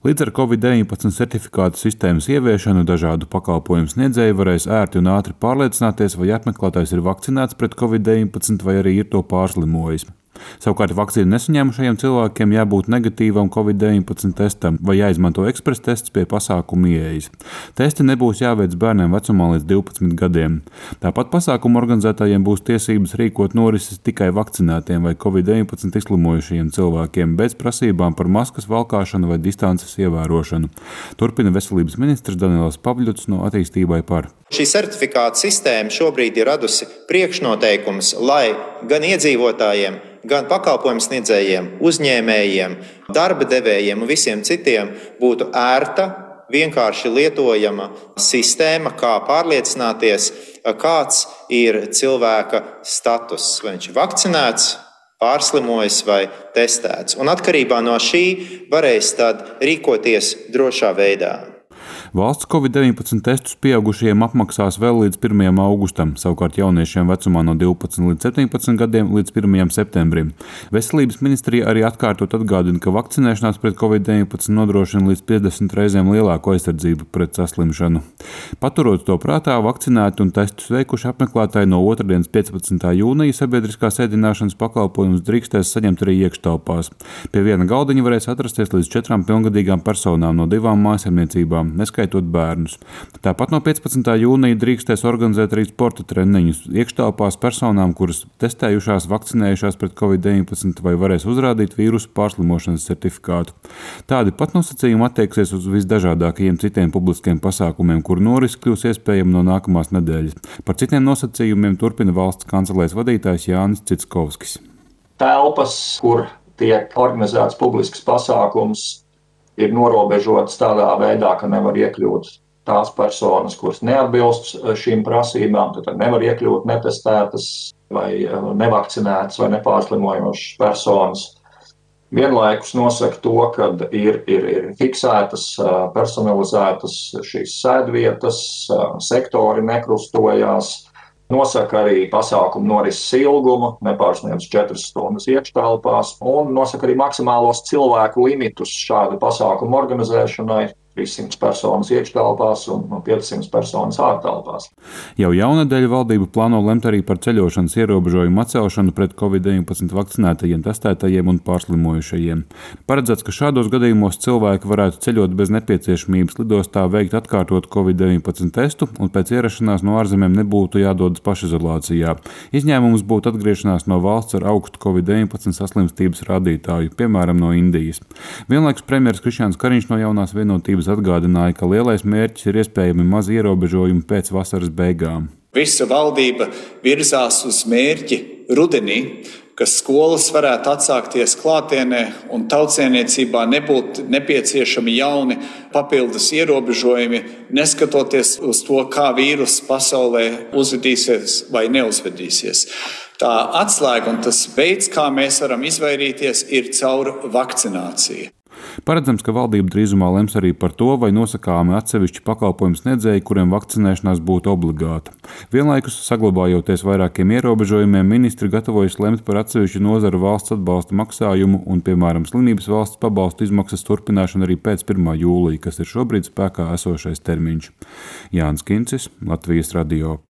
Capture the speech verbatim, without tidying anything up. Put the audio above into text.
Līdz ar covid deviņpadsmit certifikātu sistēmas ieviešanu dažādu pakalpojumu sniedzēji varēs ērti un ātri pārliecināties, vai apmeklētājs ir vakcinēts pret covid deviņpadsmit vai arī ir to pārslimojis. Savukārt vakcīnu nesaņēmušajiem cilvēkiem jābūt negatīvam covid deviņpadsmit testam vai jāizmanto ekspresa tests pie pasākuma ieejas. Testi nebūs jāveic bērniem vecumā līdz divpadsmit gadiem. Tāpat pasākumu organizētājiem būs tiesības rīkot norises tikai vakcinētiem vai covid deviņpadsmit izslimojušajiem cilvēkiem bez prasībām par maskas valkāšanu vai distances ievērošanu. Turpina veselības ministrs Daniels Pavļuts no Attīstībai par. Šī certifikāta sistēma šobrīd ir radusi priekšnoteikumus, lai gan iedzīvotājiem, gan pakalpojumu sniedzējiem, uzņēmējiem, darba devējiem un visiem citiem būtu ērta, vienkārši lietojama sistēma, kā pārliecināties, kāds ir cilvēka status, vai viņš ir vakcinēts, pārslimojis vai testēts. Un atkarībā no šī varēs tad rīkoties drošā veidā. Valsts covid deviņpadsmit testus pieaugušajiem apmaksās vēl līdz pirmajam augustam, savukārt jauniešiem vecumā no divpadsmit līdz septiņpadsmit gadiem līdz pirmajam septembrim. Veselības ministrija arī atkārtot atgādina, ka vakcinēšanās pret covid deviņpadsmit nodrošina līdz piecdesmit reizēm lielāku aizsardzību pret saslimšanu. Paturot to prātā, vakcinēti un testus veikuši apmeklētāji no otrdienas piecpadsmitā jūnija sabiedriskās ēdināšanas pakalpojumus drīkstēs saņemt arī iekštelpās. Pie viena galdiņa varēs atrasties līdz četrām pilngadīgām personām no divām mājsaimniecībām, neskaitot bērnus. Tāpat no piecpadsmitā jūnija drīkstēs organizēt arī sporta treniņus iekštelpās personām, kuras testējušās, vakcinējušās pret covid deviņpadsmit vai varēs uzrādīt vīrusu pārslimošanas certifikātu. Tādi pat nosacījumi attieksies uz visdažādākajiem citiem publiskiem pasākumiem, kuru norisi kļūs iespējama no nākamās nedēļas. Par citiem nosacījumiem turpina valsts kancelēs vadītājs Jānis Citskovskis. Telpas, kur tiek organizēts publisks pasākums, ir norobežotas tādā veidā, ka nevar iekļūt tās personas, kuras neatbilst šīm prasībām, tad nevar iekļūt netestētas vai nevakcinētas vai nepārslimojošas personas. Vienlaikus nosaka to, ka ir, ir, ir fiksētas, personalizētas šīs sēdvietas, sektori nekrustojās, nosaka arī pasākumu norises ilgumu, nepārsniedz četras stundas iekštelpās, un nosaka arī maksimālos cilvēku limitus šādu pasākumu organizēšanai. trīssimts personas iekštelpās un piecsimt personas ārtelpās. Jau jaunadēļ valdība plāno lemt arī par ceļošanas ierobežojumu atcelšanu pret covid deviņpadsmit vakcinētajiem, testētajiem un pārslimojušajiem. Paredzēts, ka šādos gadījumos cilvēki varētu ceļot bez nepieciešamības lidostā veikt atkārtot covid deviņpadsmit testu un pēc ierašanās no ārzemēm nebūtu jādodas pašizolācijā. Izņēmums būtu atgriešanās no valsts ar augstu covid deviņpadsmit saslimstības rādītāju, piemēram, no Indijas. Vienlaikus premjeras Krišjāns Kariņš no Jaunās Vienotības atgādināja, ka lielais mērķis ir iespējami maz ierobežojumi pēc vasaras beigām. Visa valdība virzās uz mērķi rudenī, ka skolas varētu atsākties klātienē un tautsēmniecībā nebūtu nepieciešami jauni papildus ierobežojumi, neskatoties uz to, kā vīruss pasaulē uzvedīsies vai neuzvedīsies. Tā atslēga un tas veids, kā mēs varam izvairīties, ir caur vakcināciju. Paredzams, ka valdība drīzumā lems arī par to, vai nosakāmi atsevišķi pakalpojumu sniedzēji, kuriem vakcinēšanās būtu obligāta. Vienlaikus, saglabājoties vairākiem ierobežojumiem, ministri gatavojas lemt par atsevišķu nozaru valsts atbalsta maksājumu un, piemēram, slimības valsts pabalstu izmaksas turpināšanu arī pēc pirmā jūlija, kas ir šobrīd spēkā esošais termiņš. Jānis Kincis, Latvijas radio.